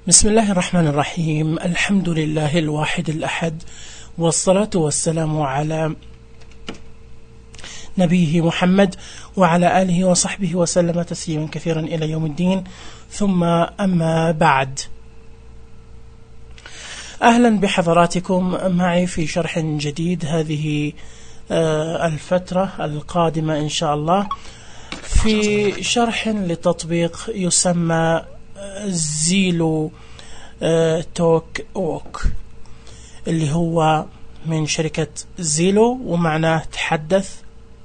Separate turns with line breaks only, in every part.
بسم الله الرحمن الرحيم. الحمد لله الواحد الأحد، والصلاة والسلام على نبيه محمد وعلى آله وصحبه وسلم تسليما كثيرا إلى يوم الدين، ثم أما بعد. أهلا بحضراتكم معي في شرح جديد هذه الفترة القادمة إن شاء الله، في شرح لتطبيق يسمى زيلو توك ووك، اللي هو من شركة زيلو ومعناه تحدث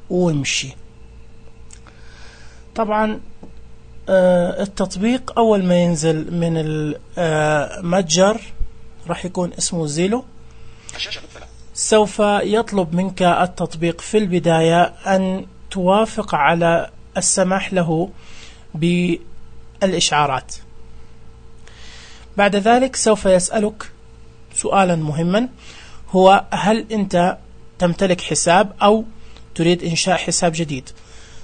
وامشي. طبعا التطبيق أول ما ينزل من المتجر راح يكون اسمه زيلو. سوف يطلب منك التطبيق في البداية أن توافق على السماح له بالإشعارات. بعد ذلك سوف يسألك سؤالا مهما، هو هل أنت تمتلك حساب أو تريد إنشاء حساب جديد؟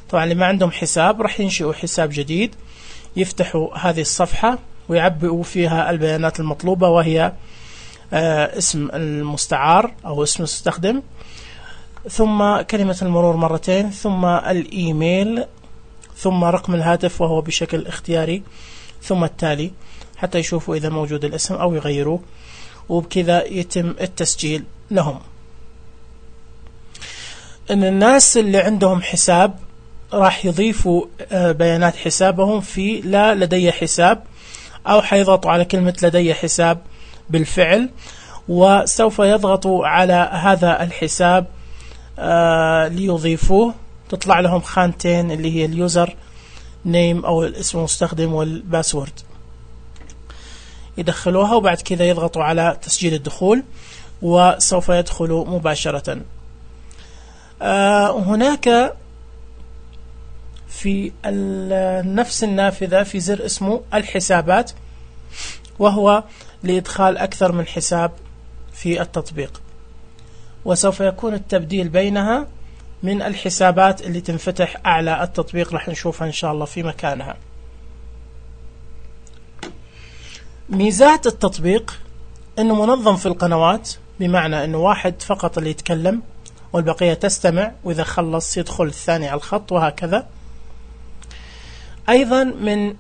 طبعا اللي ما عندهم حساب راح ينشئوا حساب جديد، يفتحوا هذه الصفحة ويعبئوا فيها البيانات المطلوبة، وهي اسم المستعار أو اسم المستخدم، ثم كلمة المرور مرتين، ثم الإيميل، ثم رقم الهاتف وهو بشكل اختياري، ثم التالي حتى يشوفوا إذا موجود الاسم أو يغيروه، وبكذا يتم التسجيل لهم. إن الناس اللي عندهم حساب راح يضيفوا بيانات حسابهم في لا لدي حساب، أو حيضغطوا على كلمة لدي حساب بالفعل، وسوف يضغطوا على هذا الحساب ليضيفوه. تطلع لهم خانتين اللي هي اليوزر نيم أو الاسم المستخدم والباسورد، يدخلوها وبعد كذا يضغطوا على تسجيل الدخول وسوف يدخلوا مباشرة. هناك في نفس النافذة في زر اسمه الحسابات، وهو لإدخال أكثر من حساب في التطبيق، وسوف يكون التبديل بينها من الحسابات اللي تنفتح أعلى التطبيق، راح نشوفها إن شاء الله في مكانها. ميزات التطبيق أنه منظم في القنوات، بمعنى أنه واحد فقط اللي يتكلم والبقية تستمع، وإذا خلص يدخل الثاني على الخط وهكذا. أيضا من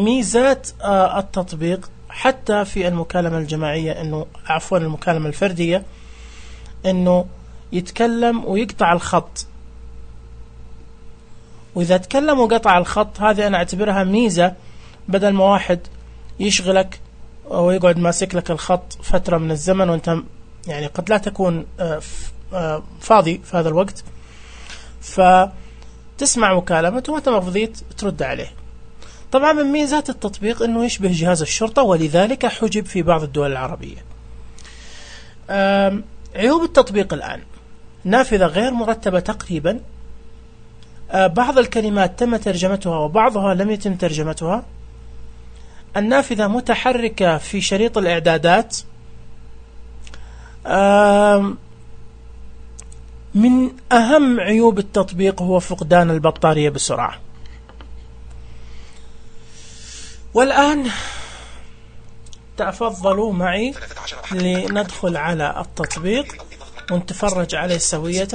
ميزات التطبيق حتى في المكالمة الجماعية، أنه عفوا المكالمة الفردية، أنه يتكلم ويقطع الخط، وإذا تكلم وقطع الخط هذه أنا أعتبرها ميزة، بدل ما واحد يشغلك ويقعد ماسك لك الخط فترة من الزمن وانت يعني قد لا تكون فاضي في هذا الوقت، فتسمع مكالمته وانت ما فضيت ترد عليه. طبعا من ميزات التطبيق انه يشبه جهاز الشرطة، ولذلك حجب في بعض الدول العربية. عيوب التطبيق الآن: نافذة غير مرتبة تقريبا، بعض الكلمات تم ترجمتها وبعضها لم يتم ترجمتها، النافذة متحركة في شريط الإعدادات، من أهم عيوب التطبيق هو فقدان البطارية بسرعة. والآن تفضلوا معي لندخل على التطبيق ونتفرج عليه سوية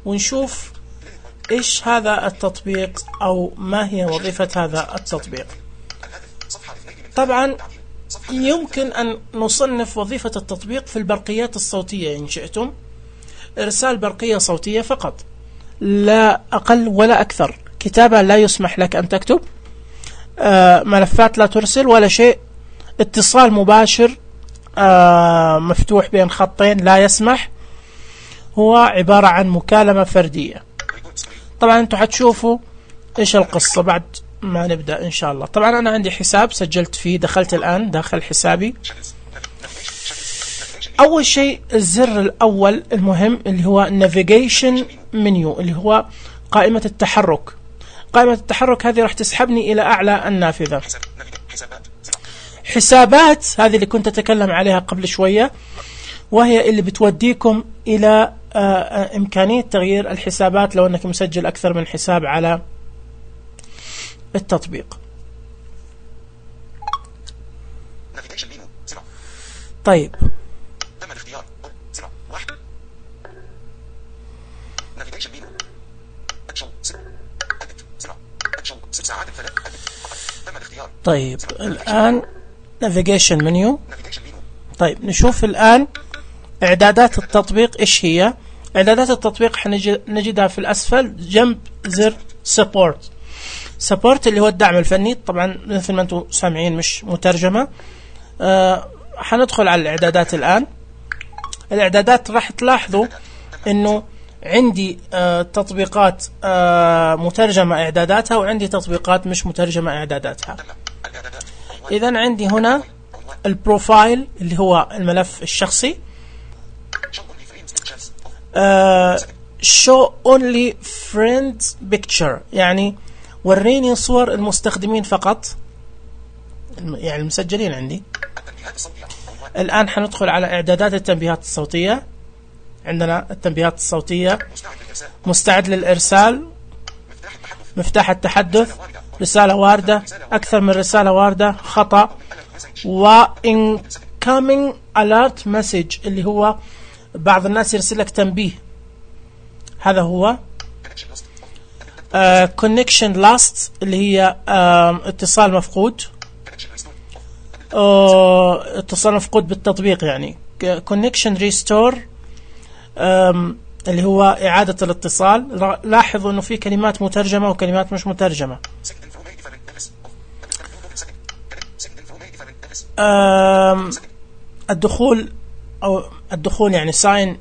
ونشوف إيش هذا التطبيق أو ما هي وظيفة هذا التطبيق. طبعا يمكن أن نصنف وظيفة التطبيق في البرقيات الصوتية إن شئتم، إرسال برقية صوتية فقط، لا أقل ولا أكثر. كتابة لا يسمح لك أن تكتب، ملفات لا ترسل ولا شيء. اتصال مباشر مفتوح بين خطين لا يسمح، هو عبارة عن مكالمة فردية. طبعا أنتم حتشوفوا إيش القصة بعد ما نبدأ إن شاء الله. طبعا أنا عندي حساب سجلت فيه، دخلت الآن داخل حسابي. أول شيء الزر الأول المهم اللي هو navigation menu، اللي هو قائمة التحرك. قائمة التحرك هذه راح تسحبني إلى أعلى النافذة. حسابات هذه اللي كنت أتكلم عليها قبل شوية، وهي اللي بتوديكم إلى إمكانية تغيير الحسابات لو أنك مسجل أكثر من حساب على التطبيق. طيب
تم الاختيار 1 نافيجيشن مينو اكشن 6 ساعات 3 تم الاختيار.
طيب الآن نافيجيشن منيو. طيب نشوف الآن إعدادات التطبيق إيش هي. إعدادات التطبيق حنجدها في الأسفل جنب زر سبورت اللي هو الدعم الفني. طبعا مثل ما أنتم سامعين مش مترجمة. حندخل على الإعدادات الآن. الإعدادات راح تلاحظوا إنه عندي تطبيقات مترجمة إعداداتها وعندي تطبيقات مش مترجمة إعداداتها. إذن عندي هنا البروفايل اللي هو الملف الشخصي. show only friends picture يعني وريني صور المستخدمين فقط، يعني المسجلين عندي. الآن حندخل على إعدادات التنبيهات الصوتية. عندنا التنبيهات الصوتية، مستعد للإرسال، مفتاح التحدث، رسالة واردة، أكثر من رسالة واردة، خطأ، و incoming alert message اللي هو بعض الناس يرسل لك تنبيه. هذا هو connection lost اللي هي اتصال مفقود. اتصال مفقود بالتطبيق يعني. connection restore اللي هو إعادة الاتصال. لاحظوا أنه في كلمات مترجمة وكلمات مش مترجمة. الدخول أو الدخول يعني sign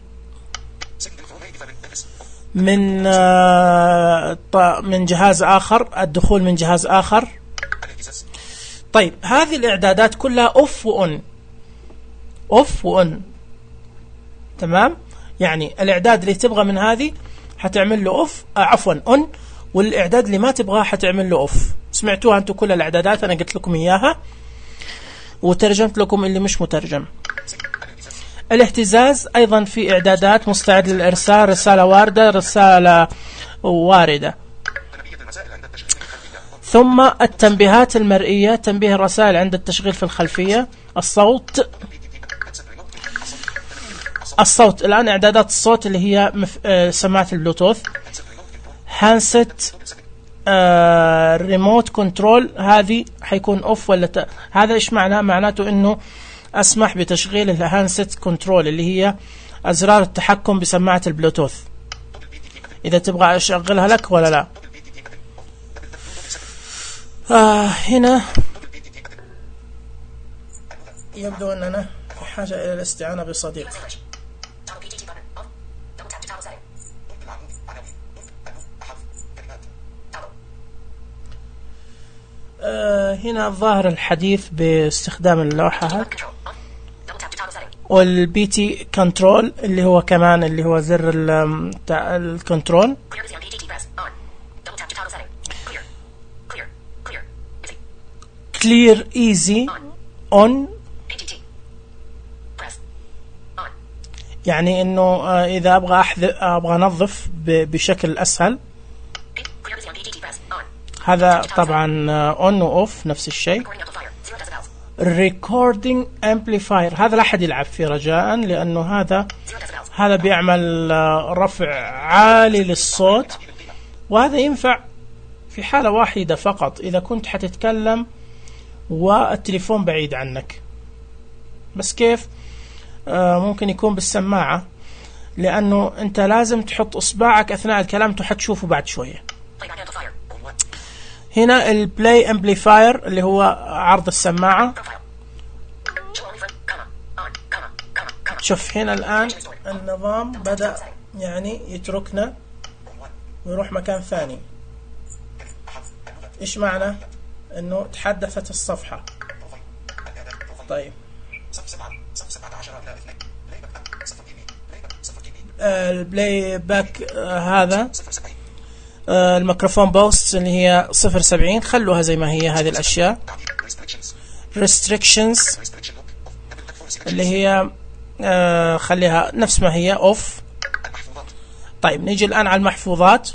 من جهاز آخر، الدخول من جهاز آخر. طيب هذه الإعدادات كلها off وon تمام. يعني الإعداد اللي تبغى من هذه حتعمل له on، والإعداد اللي ما تبغاه حتعمل له off. سمعتوها أنتم كل الإعدادات، أنا قلت لكم إياها وترجمت لكم اللي مش مترجم. الاهتزاز أيضا في إعدادات، مستعد للإرسال، رسالة واردة، رسالة واردة. ثم التنبيهات المرئية، تنبيه الرسائل عند التشغيل في الخلفية. الصوت الآن إعدادات الصوت اللي هي سماعة البلوتوث. هاندسيت ريموت كنترول، هذه حيكون اوف ولا هذا ايش معناه؟ معناته انه اسمح بتشغيل الهاندسيت كنترول اللي هي ازرار التحكم بسماعة البلوتوث، اذا تبغى اشغلها لك ولا لا. هنا يبدو اننا في حاجة الى الاستعانة بصديق. هنا الظاهر الحديث باستخدام اللوحة، والبي تي كنترول اللي هو كمان اللي هو زر الكنترول. كلير ايزي اون، يعني انه اذا ابغى انظف بشكل اسهل. هذا طبعا اون واوف نفس الشيء. ريكوردينج امبليفاير، هذا لا احد يلعب فيه رجاء، لانه هذا بيعمل رفع عالي للصوت، وهذا ينفع في حالة واحدة فقط، اذا كنت حتتكلم والتليفون بعيد عنك. بس كيف؟ ممكن يكون بالسماعة، لانه انت لازم تحط اصبعك اثناء الكلام، حتشوفه بعد شوية. هنا البلاي امبليفاير اللي هو عرض السماعة. شوف هنا الآن النظام بدأ يعني يتركنا ويروح مكان ثاني. إيش معنى؟ إنه تحدثت الصفحة. طيب البلاي باك هذا الميكروفون بوست اللي هي 0.70، خلوها زي ما هي هذه الأشياء. restrictions اللي هي خليها نفس ما هي اوف. طيب نيجي الآن على المحفوظات.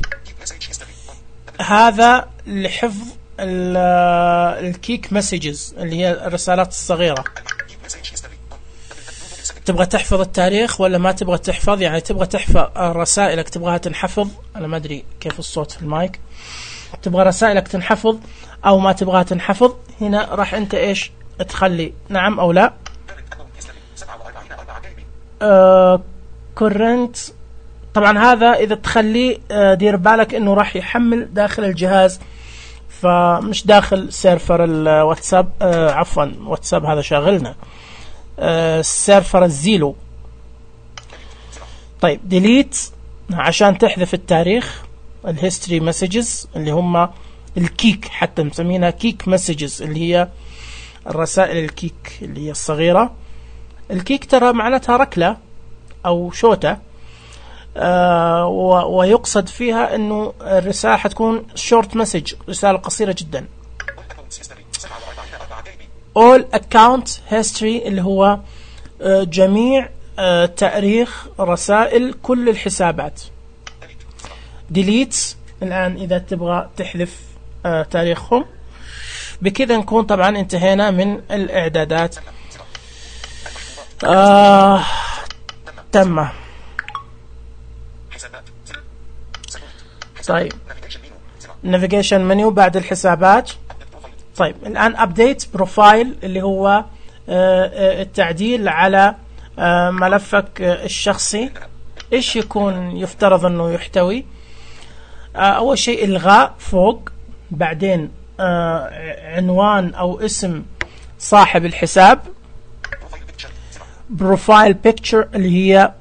هذا لحفظ الكيك مسجز اللي هي الرسالات الصغيرة. تبغى تحفظ التاريخ ولا ما تبغى تحفظ؟ يعني تبغى تحفظ رسائلك تبغاها تنحفظ، أنا ما أدري كيف الصوت في المايك، تبغى رسائلك تنحفظ أو ما تبغاها تنحفظ. هنا راح أنت إيش تخلي نعم أو لا. كورنت طبعا هذا إذا تخليه دير بالك إنه راح يحمل داخل الجهاز، فمش داخل سيرفر الواتساب. عفوا واتساب هذا شاغلنا، سيرفر الزيلو. طيب ديليت عشان تحذف التاريخ، الهيستوري مسجز اللي هم الكيك، حتى مسمينها كيك مسجز اللي هي الرسائل الكيك اللي هي الصغيرة. الكيك ترى معناتها ركلة أو شوتة، ويقصد فيها أنه الرسالة حتكون شورت مسج، رسالة قصيرة جدا. all account history اللي هو جميع تاريخ رسائل كل الحسابات. delete الآن إذا تبغى تحذف تاريخهم. بكذا نكون طبعا انتهينا من الإعدادات. تم. طيب navigation menu بعد الحسابات. طيب الآن update profile اللي هو التعديل على ملفك الشخصي. إيش يكون يفترض أنه يحتوي؟ أول شيء إلغاء فوق، بعدين عنوان أو اسم صاحب الحساب، بروفايل بيكتشر اللي هي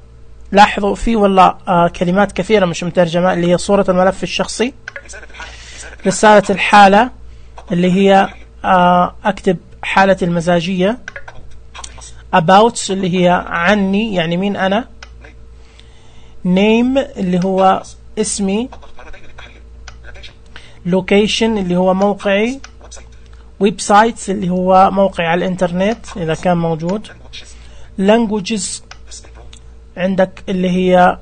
لاحظوا فيه والله كلمات كثيرة مش مترجمة، اللي هي صورة الملف الشخصي. رسالة الحالة اللي هي أكتب حالتي المزاجية. about اللي هي عني يعني مين أنا. name اللي هو اسمي. location اللي هو موقعي. ويب سايتس اللي هو موقعي على الانترنت إذا كان موجود. languages عندك اللي هي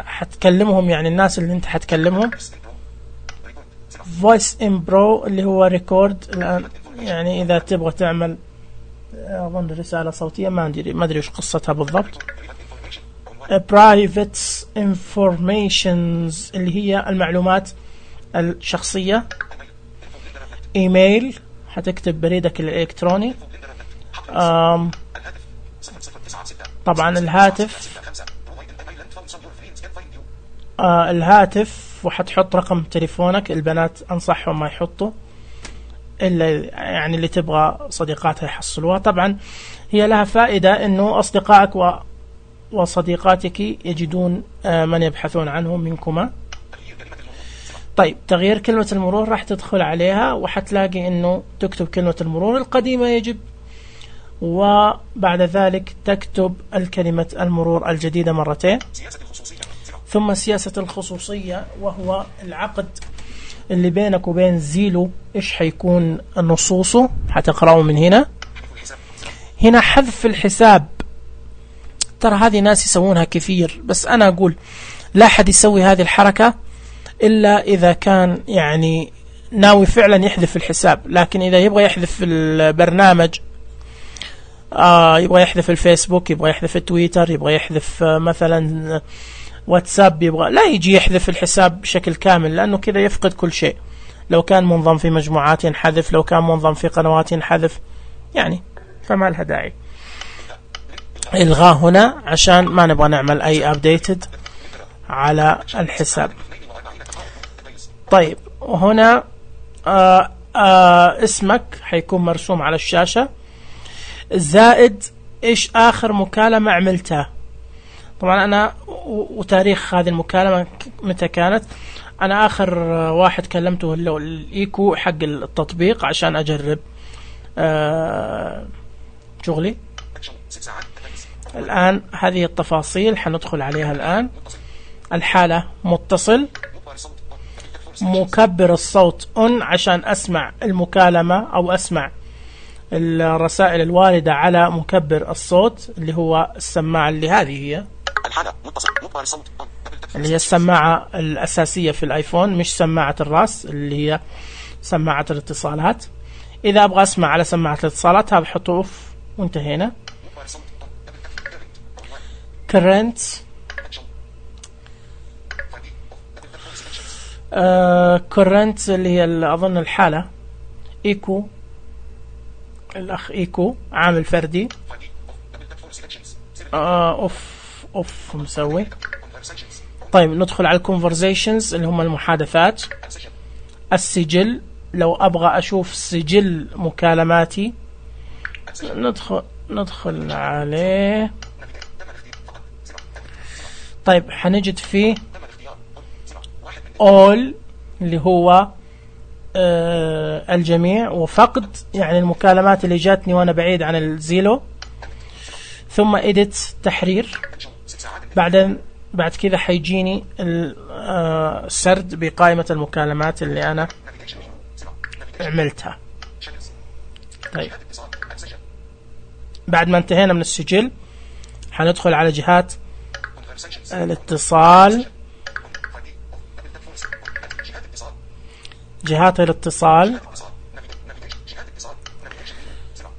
حتكلمهم يعني الناس اللي انت حتكلمهم. voice in pro اللي هو ريكورد الآن يعني إذا تبغى تعمل أظن رسالة صوتية، ما أدري وش قصتها بالضبط. private informations اللي هي المعلومات الشخصية. ايميل حتكتب بريدك الإلكتروني. طبعا الهاتف وحتحط رقم تليفونك. البنات أنصحهم ما يحطوا إلا يعني اللي تبغى صديقاتها يحصلوها. طبعا هي لها فائدة أنه أصدقائك وصديقاتك يجدون من يبحثون عنه منكما. طيب تغيير كلمة المرور راح تدخل عليها وحتلاقي أنه تكتب كلمة المرور القديمة يجب، وبعد ذلك تكتب الكلمة المرور الجديدة مرتين. ثم سياسة الخصوصية وهو العقد اللي بينك وبين زيلو، إيش حيكون نصوصه حتقرأه من هنا. هنا حذف الحساب، ترى هذه ناس يسوونها كثير، بس أنا أقول لا أحد يسوي هذه الحركة إلا إذا كان يعني ناوي فعلا يحذف الحساب. لكن إذا يبغى يحذف البرنامج، يبغى يحذف الفيسبوك، يبغى يحذف التويتر، يبغى يحذف مثلا واتساب، يبغى لا يجي يحذف الحساب بشكل كامل، لأنه كذا يفقد كل شيء. لو كان منضم في مجموعات ينحذف، لو كان منضم في قنوات ينحذف، يعني فما لها داعي. إلغاء هنا عشان ما نبغى نعمل أي أبديتد على الحساب. طيب وهنا اسمك حيكون مرسوم على الشاشة، زائد إيش آخر مكالمة عملتها. طبعا أنا وتاريخ هذه المكالمة متى كانت. أنا آخر واحد كلمته اللي هو الإيكو حق التطبيق عشان أجرب شغلي. الآن هذه التفاصيل حندخل عليها الآن. الحالة متصل، مكبر الصوت عشان أسمع المكالمة أو أسمع الرسائل الواردة على مكبر الصوت اللي هو السماعة اللي هذه هي اللي هي السماعة الأساسية في الآيفون، مش سماعة الراس اللي هي سماعة الاتصالات. إذا أبغى أسمع على سماعة الاتصالات هذا حطه أوف وانتهينا. current current اللي هي أظن الحالة. echo الأخ echo عامل فردي. اوف مسوي. طيب ندخل على الconversations اللي هم المحادثات. السجل لو أبغى أشوف سجل مكالماتي ندخل عليه. طيب حنجد فيه all اللي هو الجميع، وفقد يعني المكالمات اللي جاتني وأنا بعيد عن الزيلو. ثم edit تحرير. بعد كذا حيجيني السرد بقائمة المكالمات اللي أنا عملتها. طيب بعد ما انتهينا من السجل حندخل على جهات الاتصال. جهات الاتصال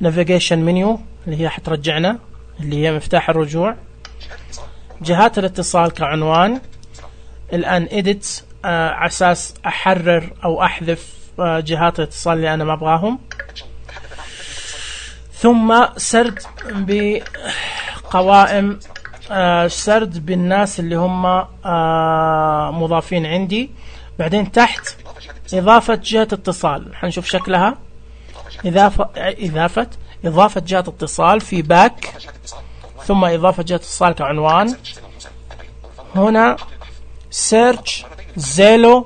navigation menu اللي هي حترجعنا، اللي هي مفتاح الرجوع. جهات الاتصال كعنوان. الآن edit على أساس أحرر أو أحذف جهات الاتصال اللي أنا ما أبغاهم. ثم سرد بقوائم، سرد بالناس اللي هم مضافين عندي. بعدين تحت إضافة جهة اتصال، حنشوف شكلها. إضافة جهة اتصال في باك، ثم إضافة جهة اتصال كعنوان. هنا search Zelo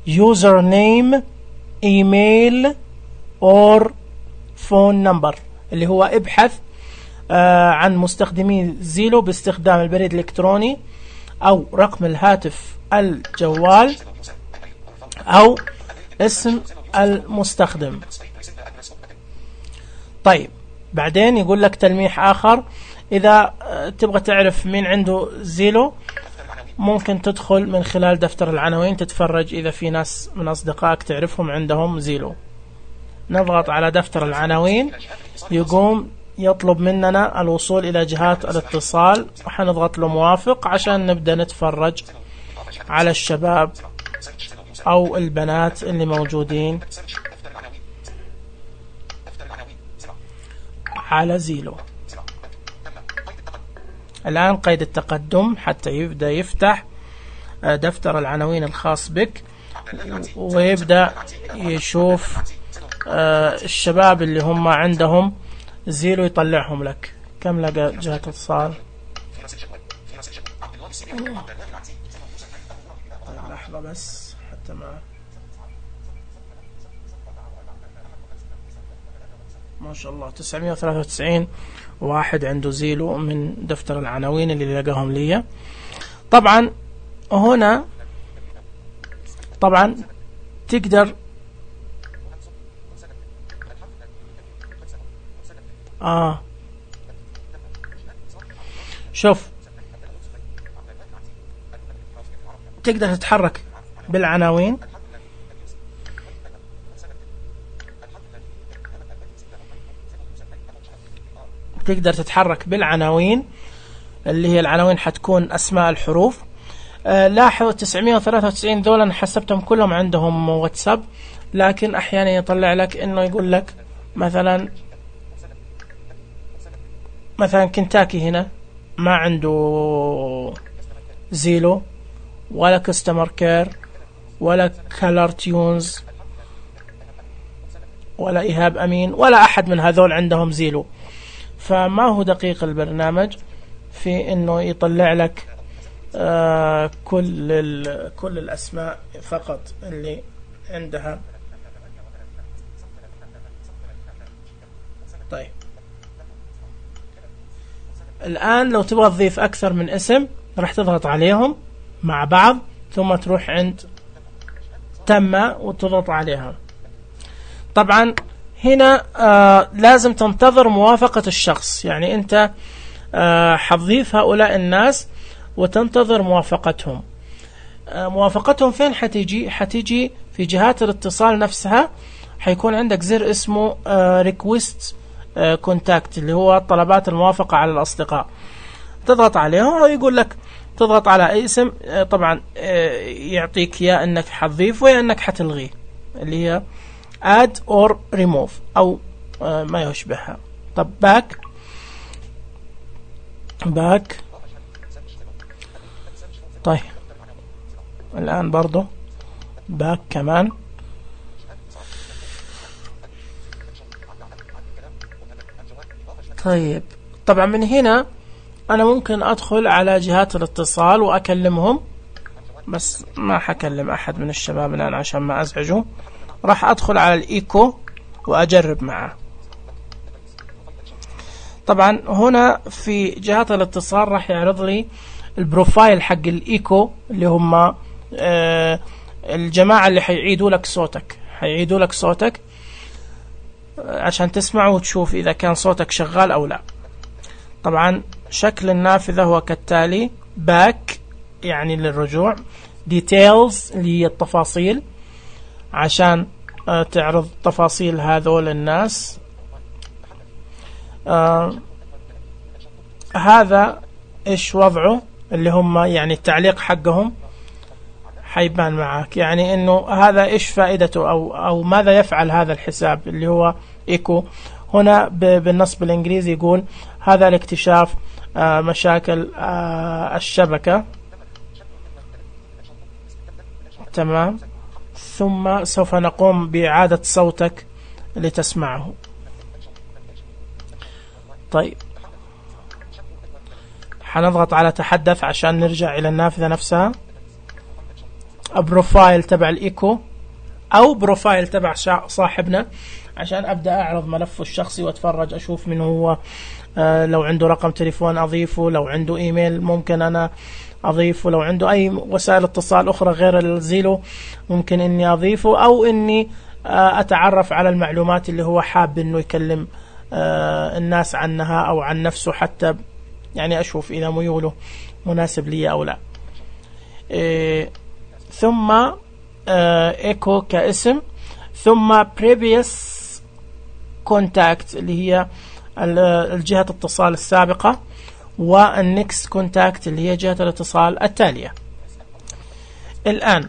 username email or phone number اللي هو ابحث عن مستخدمي زيلو باستخدام البريد الإلكتروني أو رقم الهاتف الجوال أو اسم المستخدم. طيب بعدين يقول لك تلميح آخر، إذا تبغى تعرف مين عنده زيلو ممكن تدخل من خلال دفتر العناوين تتفرج إذا في ناس من أصدقائك تعرفهم عندهم زيلو. نضغط على دفتر العناوين، يقوم يطلب مننا الوصول إلى جهات الاتصال، وحنضغط له موافق عشان نبدأ نتفرج على الشباب أو البنات اللي موجودين على زيلو. الآن قيد التقدم حتى يبدأ يفتح دفتر العناوين الخاص بك، ويبدأ يشوف الشباب اللي هم عندهم زيلو يطلعهم لك. كم لقى جهة اتصال؟ طيب لحظة بس حتى ما شاء الله 993 واحد عنده زيلو من دفتر العناوين اللي لقاهم لي. طبعا هنا طبعا تقدر شوف تقدر تتحرك بالعناوين، تقدر تتحرك بالعناوين اللي هي العناوين حتكون أسماء الحروف. لاحظوا 993 ذولا أنا حسبتهم كلهم عندهم واتساب، لكن أحيانا يطلع لك إنه يقول لك مثلا كنتاكي هنا ما عنده زيلو ولا كستمر كير ولا كالر تيونز ولا إيهاب أمين ولا أحد من هذول عندهم زيلو. فما هو دقيق البرنامج في إنه يطلع لك كل الأسماء فقط اللي عندها. طيب الآن لو تبغى تضيف أكثر من اسم راح تضغط عليهم مع بعض، ثم تروح عند تم وتضغط عليها. طبعا هنا لازم تنتظر موافقة الشخص، يعني أنت حتضيف هؤلاء الناس وتنتظر موافقتهم. موافقتهم فين حتيجي في جهات الاتصال نفسها. حيكون عندك زر اسمه request contact اللي هو طلبات الموافقة على الأصدقاء. تضغط عليهم ويقول لك تضغط على أي اسم. طبعا يعطيك يا أنك حتضيف ويا أنك حتلغيه، اللي هي add or remove أو ما يشبهها. طب back. طيب الآن برضو back كمان. طيب طبعا من هنا أنا ممكن أدخل على جهات الاتصال وأكلمهم، بس ما حكلم أحد من الشباب الآن عشان ما أزعجه. راح أدخل على الإيكو وأجرب معه. طبعا هنا في جهات الاتصال راح يعرض لي البروفايل حق الإيكو اللي هم الجماعة اللي حيعيدوا لك صوتك عشان تسمع وتشوف إذا كان صوتك شغال أو لا. طبعا شكل النافذة هو كالتالي: back يعني للرجوع، details اللي هي التفاصيل عشان تعرض تفاصيل هذول الناس. هذا إيش وضعه اللي هم يعني التعليق حقهم حيبان معك، يعني إنه هذا إيش فائدته أو ماذا يفعل هذا الحساب اللي هو إيكو. هنا بالنص بالإنجليزي يقول هذا لاكتشاف مشاكل الشبكة، تمام، ثم سوف نقوم بإعادة صوتك لتسمعه. طيب حنضغط على تحدث عشان نرجع إلى النافذة نفسها. بروفايل تبع الإيكو أو بروفايل تبع صاحبنا عشان أبدأ أعرض ملفه الشخصي وأتفرج أشوف من هو. لو عنده رقم تليفون أضيفه، لو عنده إيميل ممكن أنا أضيفه، لو عنده أي وسائل اتصال أخرى غير الزيلو ممكن إني أضيفه، أو إني أتعرف على المعلومات اللي هو حاب إنه يكلم الناس عنها أو عن نفسه، حتى يعني أشوف إذا ميوله مناسب لي أو لا. ثم إيكو كاسم، ثم previous contact اللي هي الجهة الاتصال السابقة، والnext contact اللي هي جهة الاتصال التالية. الآن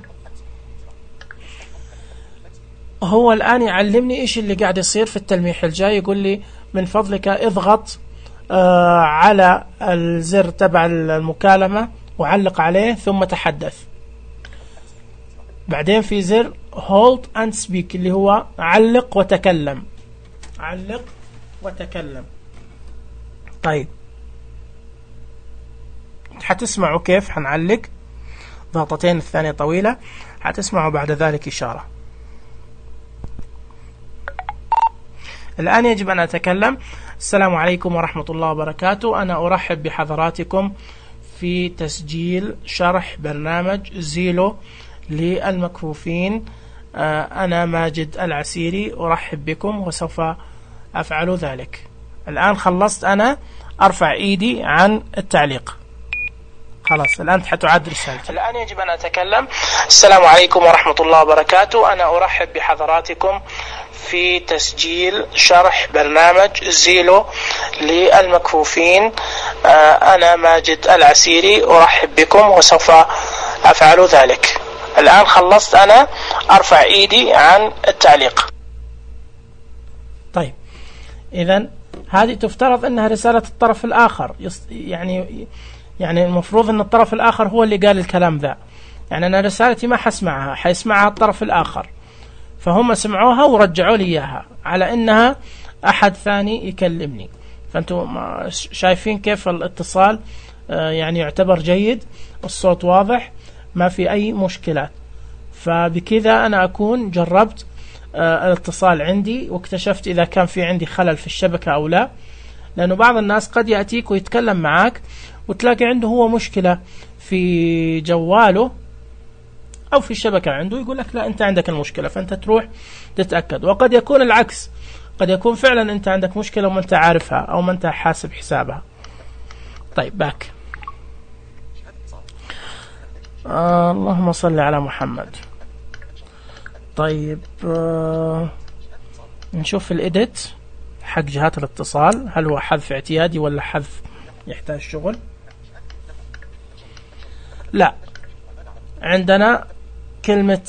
هو الآن يعلمني إيش اللي قاعد يصير في التلميح الجاي. يقول لي من فضلك اضغط على الزر تبع المكالمة وعلق عليه ثم تحدث. بعدين في زر hold and speak اللي هو علق وتكلم. طيب حتسمعوا كيف حنعلق، ضغطتين الثانية طويلة، حتسمعوا بعد ذلك إشارة. الآن يجب أن أتكلم. السلام عليكم ورحمة الله وبركاته. أنا أرحب بحضراتكم في تسجيل شرح برنامج زيلو للمكفوفين. أنا ماجد العسيري أرحب بكم وسوف أفعل ذلك. الآن خلصت أنا أرفع إيدي عن التعليق. خلاص الآن حتعاد رسالتي. الآن يجب أن أتكلم. السلام عليكم ورحمة الله وبركاته. أنا أرحب بحضراتكم في تسجيل شرح برنامج زيلو للمكفوفين. أنا ماجد العسيري أرحب بكم وسوف أفعل ذلك. الآن خلصت أنا أرفع إيدي عن التعليق. طيب إذن هذه تفترض أنها رسالة الطرف الآخر، يعني المفروض أن الطرف الآخر هو اللي قال الكلام ذا. يعني أنا رسالتي ما حسمعها، حيسمعها الطرف الآخر، فهم سمعوها ورجعوا لي إياها على أنها أحد ثاني يكلمني. فأنتم شايفين كيف الاتصال يعني يعتبر جيد، الصوت واضح، ما في أي مشكلات. فبكذا أنا أكون جربت الاتصال عندي واكتشفت إذا كان في عندي خلل في الشبكة أو لا. لأنه بعض الناس قد يأتيك ويتكلم معك وتلاقي عنده هو مشكلة في جواله أو في الشبكة عنده، يقول لك لا أنت عندك المشكلة، فأنت تروح تتأكد. وقد يكون العكس، قد يكون فعلا أنت عندك مشكلة وما أنت عارفها أو ما أنت حاسب حسابها. طيب باك. اللهم صل على محمد. طيب نشوف الإيديت حق جهات الاتصال، هل هو حذف اعتيادي ولا حذف يحتاج شغل. لا، عندنا كلمة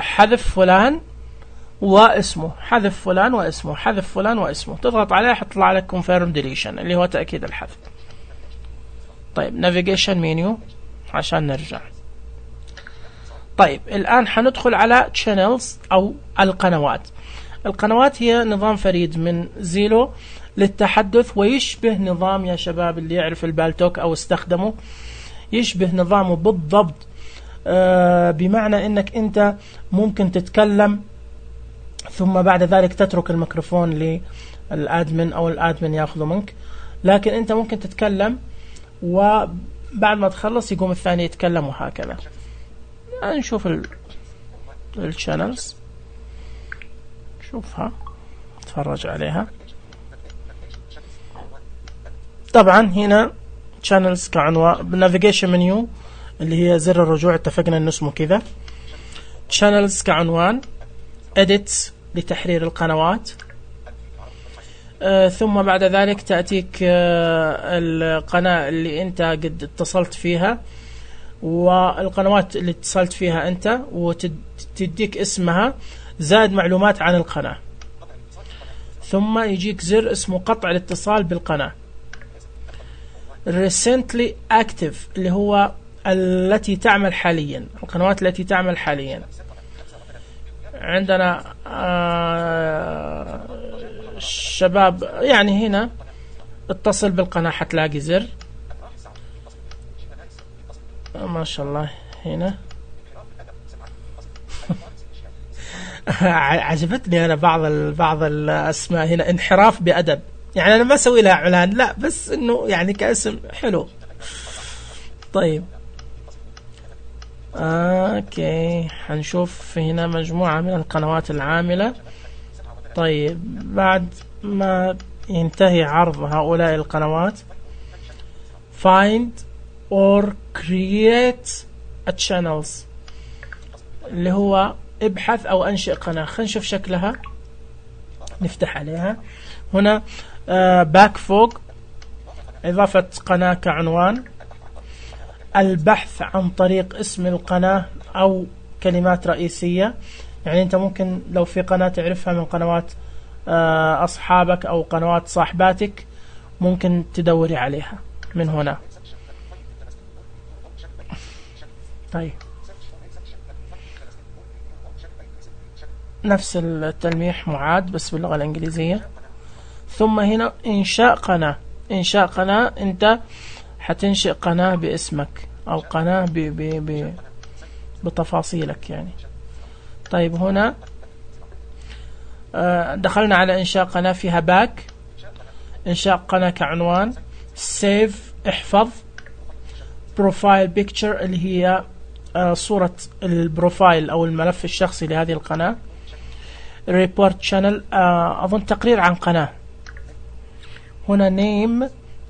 حذف فلان واسمه، حذف فلان واسمه، حذف فلان واسمه، تضغط عليه حتطلع لك confirm deletion اللي هو تأكيد الحذف. طيب navigation menu عشان نرجع. طيب الآن حندخل على channels أو القنوات. القنوات هي نظام فريد من زيلو للتحدث، ويشبه نظام يا شباب اللي يعرف البالتوك أو استخدمه، يشبه نظامه بالضبط. بمعنى أنك أنت ممكن تتكلم ثم بعد ذلك تترك الميكروفون للأدمن أو الأدمن يأخذه منك، لكن أنت ممكن تتكلم وبعد ما تخلص يقوم الثاني يتكلم وهكذا. نشوف الشانلز، شوفها تفرج عليها. طبعا هنا channels كعنوان، navigation menu اللي هي زر الرجوع، اتفقنا انه اسمه كذا. channels كعنوان، edit لتحرير القنوات، ثم بعد ذلك تأتيك القناة اللي انت قد اتصلت فيها والقنوات اللي اتصلت فيها انت، وتديك اسمها زائد معلومات عن القناة، ثم يجيك زر اسمه قطع الاتصال بالقناة. recently active اللي هو التي تعمل حاليا، القنوات التي تعمل حاليا. عندنا شباب يعني هنا اتصل بالقناة حتلاقي زر ما شاء الله هنا. عجبتني أنا بعض الأسماء هنا، انحراف بأدب، يعني أنا ما أسوي لها إعلان لا، بس إنه يعني كاسم حلو. طيب اوكي، حنشوف هنا مجموعة من القنوات العاملة. طيب بعد ما ينتهي عرض هؤلاء القنوات find or create a channels اللي هو ابحث او انشئ قناة. خلينا نشوف شكلها، نفتح عليها هنا باك فوق، اضافة قناة كعنوان، البحث عن طريق اسم القناة أو كلمات رئيسية. يعني أنت ممكن لو في قناة تعرفها من قنوات أصحابك أو قنوات صاحباتك ممكن تدوري عليها من هنا. طيب نفس التلميح معاد بس باللغة الإنجليزية. ثم هنا إنشاء قناة، إنشاء قناة، أنت حتنشئ قناة باسمك أو قناة بتفاصيلك يعني. طيب هنا دخلنا على إنشاء قناة فيها باك، إنشاء قناة كعنوان، سيف احفظ، بروفايل بيكتشر اللي هي صورة البروفايل أو الملف الشخصي لهذه القناة، ريبورت شانل أظن تقرير عن قناة. هنا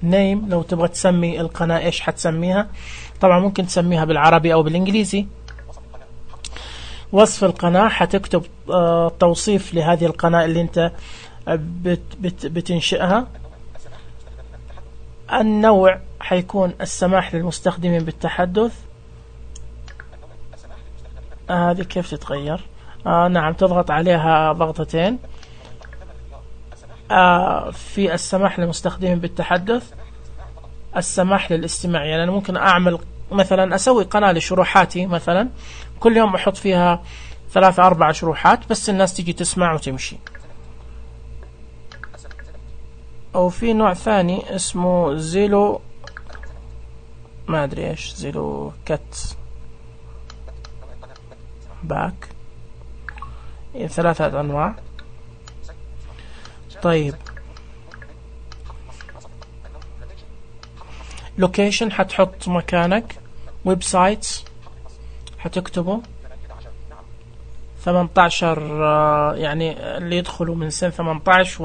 نيم لو تبغى تسمي القناة إيش حتسميها، طبعا ممكن تسميها بالعربي أو بالإنجليزي. وصف القناة حتكتب توصيف لهذه القناة اللي أنت بتنشئها. النوع حيكون السماح للمستخدمين بالتحدث. هذه كيف تتغير؟ نعم، تضغط عليها ضغطتين. في السماح للمستخدمين بالتحدث، السماح للاستماع. يعني أنا ممكن أعمل مثلا أسوي قناة لشروحاتي مثلا، كل يوم أحط فيها 3-4 شروحات بس الناس تيجي تسمع وتمشي. أو في نوع ثاني اسمه زيلو، ما أدري إيش، زيلو كات باك، 3 أنواع. طيب لوكيشن حتحط مكانك، ويب سايتس حتكتبه 18 يعني اللي يدخلوا من سن 18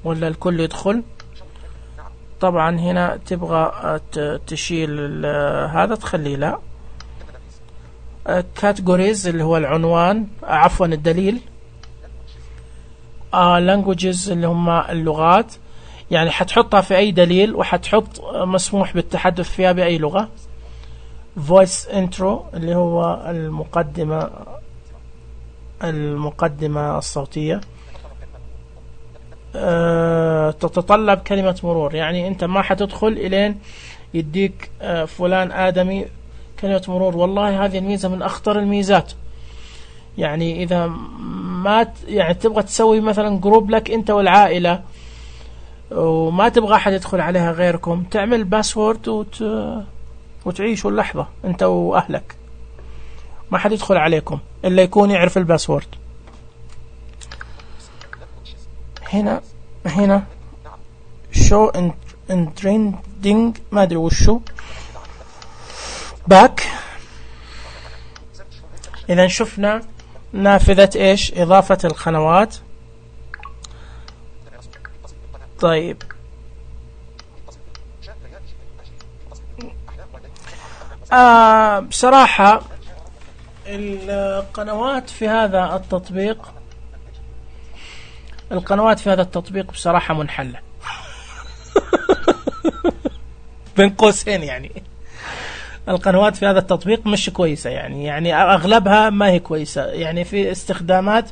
ولا الكل يدخل. طبعا هنا تبغى تشيل هذا تخليه لا. كاتيجوريز اللي هو العنوان، عفوا الدليل. languages اللي هم اللغات، يعني حتحطها في أي دليل وحتحط مسموح بالتحدث فيها بأي لغة. voice intro اللي هو المقدمة الصوتية. تتطلب كلمة مرور، يعني أنت ما حتدخل إلين يديك فلان آدمي كلمة مرور. والله هذه الميزة من أخطر الميزات. يعني إذا ما يعني تبغى تسوي مثلا جروب لك أنت والعائلة وما تبغى أحد يدخل عليها غيركم، تعمل باسورد وتعيشوا اللحظة أنت وأهلك، ما حد يدخل عليكم إلا يكون يعرف الباسورد. هنا show and trending ما أدري وشو back. إذا شفنا نافذة إيش؟ إضافة القنوات. طيب بصراحة القنوات في هذا التطبيق بصراحة منحلة بين قوسين. يعني القنوات في هذا التطبيق مش كويسة، يعني أغلبها ما هي كويسة. يعني في استخدامات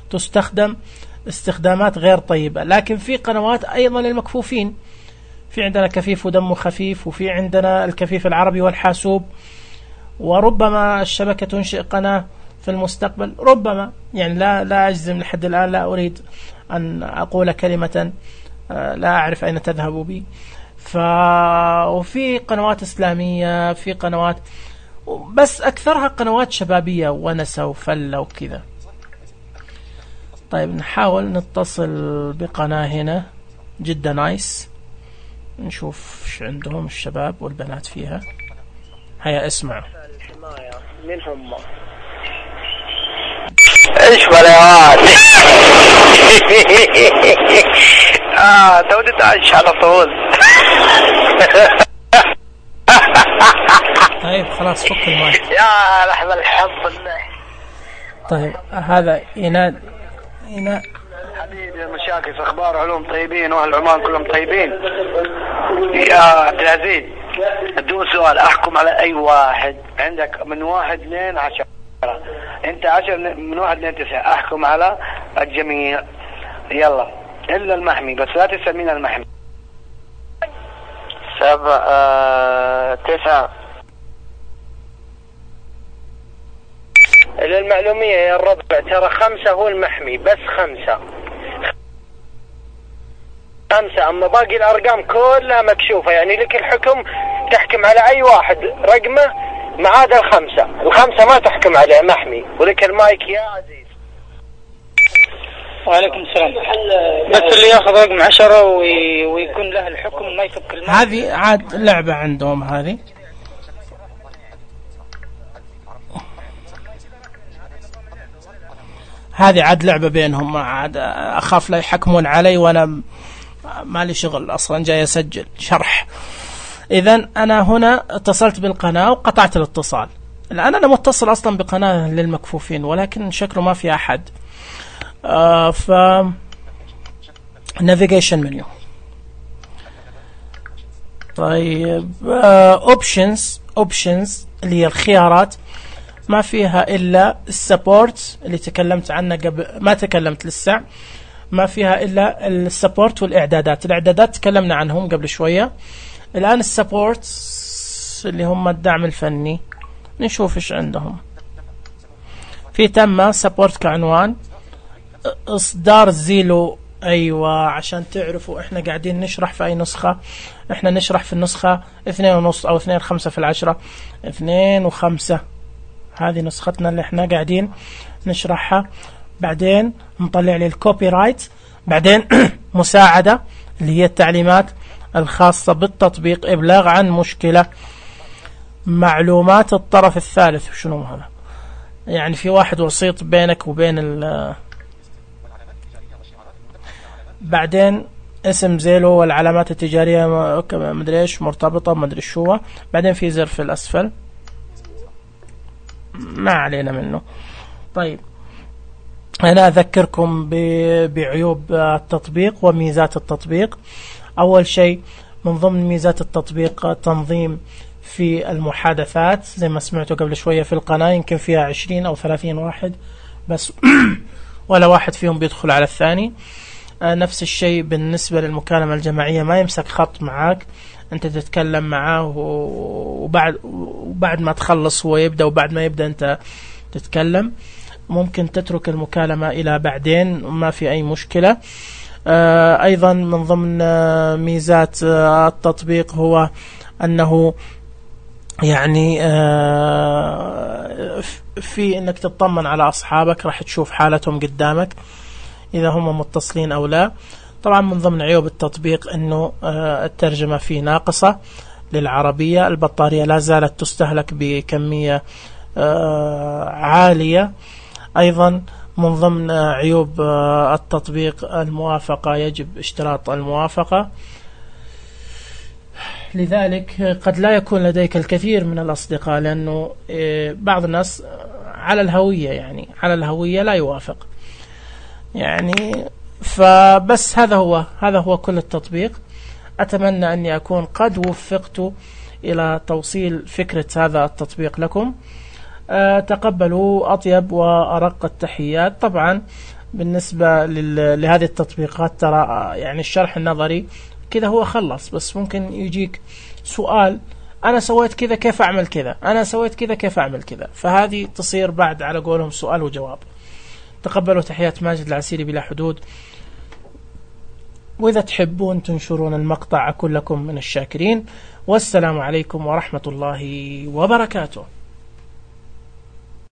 تستخدم استخدامات غير طيبة، لكن في قنوات أيضا للمكفوفين. في عندنا كفيف ودمه خفيف، وفي عندنا الكفيف العربي والحاسوب، وربما الشبكة تنشئ قناة في المستقبل ربما. يعني لا أجزم لحد الآن، لا أريد أن أقول كلمة لا أعرف أين تذهب بي. وفي قنوات إسلامية، في قنوات، بس أكثرها قنوات شبابية ونسة وفلة وكذا. طيب نحاول نتصل بقناة هنا جدا نايس، نشوف ايش عندهم الشباب والبنات فيها. هيا اسمعوا.
من هم؟ ايش بلاوات تودي تعيش على طول.
طيب خلاص فك المايك.
يا لحظة الحب.
طيب هذا يناد
حبيبي المشاكل في اخبار علوم طيبين، واهل عمان كلهم طيبين. يا عبد العزيز بدون سؤال، احكم على اي واحد عندك من 1 2 10. انت 10 من 1 2 9. احكم على الجميع يلا الا المحمي، بس لا تسأل مين المحمي. 7 9. للمعلومية يا الربع ترى 5 هو المحمي، بس 5. أما باقي الأرقام كلها مكشوفة، يعني لك الحكم تحكم على أي واحد رقمه ما عدا الخمسة ما تحكم عليه محمي. ولك المايك يا عزيز.
وعليكم السلام. بس اللي ياخذ رقم 10 ويكون له الحكم ما يفك المايك.
هذه عاد لعبة عندهم، هذه عاد لعبة بينهم. عاد أخاف لا يحكمون علي وأنا مالي شغل أصلا، جاي أسجل شرح. إذن أنا هنا اتصلت بالقناة وقطعت الاتصال. الآن أنا متصل أصلا بقناة للمكفوفين، ولكن شكله ما في أحد. navigation menu. طيب options اللي هي الخيارات، ما فيها إلا السبورت اللي تكلمت عنه قبل، ما تكلمت لسه. ما فيها إلا السبورت والإعدادات. الإعدادات تكلمنا عنهم قبل شوية. الآن السبورت اللي هم الدعم الفني، نشوف إيش عندهم. في تم سبورت كعنوان، إصدار زيلو. أيوة، عشان تعرفوا إحنا قاعدين نشرح في أي نسخة. إحنا نشرح في النسخة 2.5 أو 2.5 في 10. 2.5 هذه نسختنا اللي إحنا قاعدين نشرحها. بعدين نطلع لي الكوبي رايت. بعدين مساعدة اللي هي التعليمات الخاصة بالتطبيق، إبلاغ عن مشكلة، معلومات الطرف الثالث. شنو هذا؟ يعني في واحد وسيط بينك وبين بعدين اسم زيلو والعلامات التجارية مدري ايش مرتبطة مدري شو. بعدين في زر في الأسفل ما علينا منه. طيب أنا أذكركم بعيوب التطبيق وميزات التطبيق. أول شيء من ضمن ميزات التطبيق تنظيم في المحادثات زي ما سمعتوا قبل شوية في القناة يمكن فيها 20 أو 30 واحد بس ولا واحد فيهم بيدخل على الثاني. نفس الشيء بالنسبة للمكالمة الجماعية، ما يمسك خط معاك، أنت تتكلم معاه وبعد ما تخلص هو يبدأ، وبعد ما يبدأ أنت تتكلم. ممكن تترك المكالمة إلى بعدين وما في أي مشكلة. أيضا من ضمن ميزات التطبيق هو أنه يعني في أنك تطمن على أصحابك، راح تشوف حالتهم قدامك إذا هم متصلين أو لا. طبعا من ضمن عيوب التطبيق أنه الترجمة فيه ناقصة للعربية، البطارية لا زالت تستهلك بكمية عالية. أيضا من ضمن عيوب التطبيق الموافقة، يجب اشتراط الموافقة، لذلك قد لا يكون لديك الكثير من الأصدقاء، لأنه بعض الناس على الهوية، يعني على الهوية لا يوافق يعني. فبس هذا هو كل التطبيق. أتمنى أني أكون قد وفقت إلى توصيل فكرة هذا التطبيق لكم. تقبلوا أطيب وأرق التحيات. طبعا بالنسبة لهذه التطبيقات ترى يعني الشرح النظري كذا هو خلص، بس ممكن يجيك سؤال أنا سويت كذا كيف أعمل كذا، أنا سويت كذا كيف أعمل كذا، فهذه تصير بعد على قولهم سؤال وجواب. تقبلوا تحيات ماجد العسيري بلا حدود. وإذا تحبون تنشرون المقطع أكون لكم من الشاكرين. والسلام عليكم ورحمة الله وبركاته.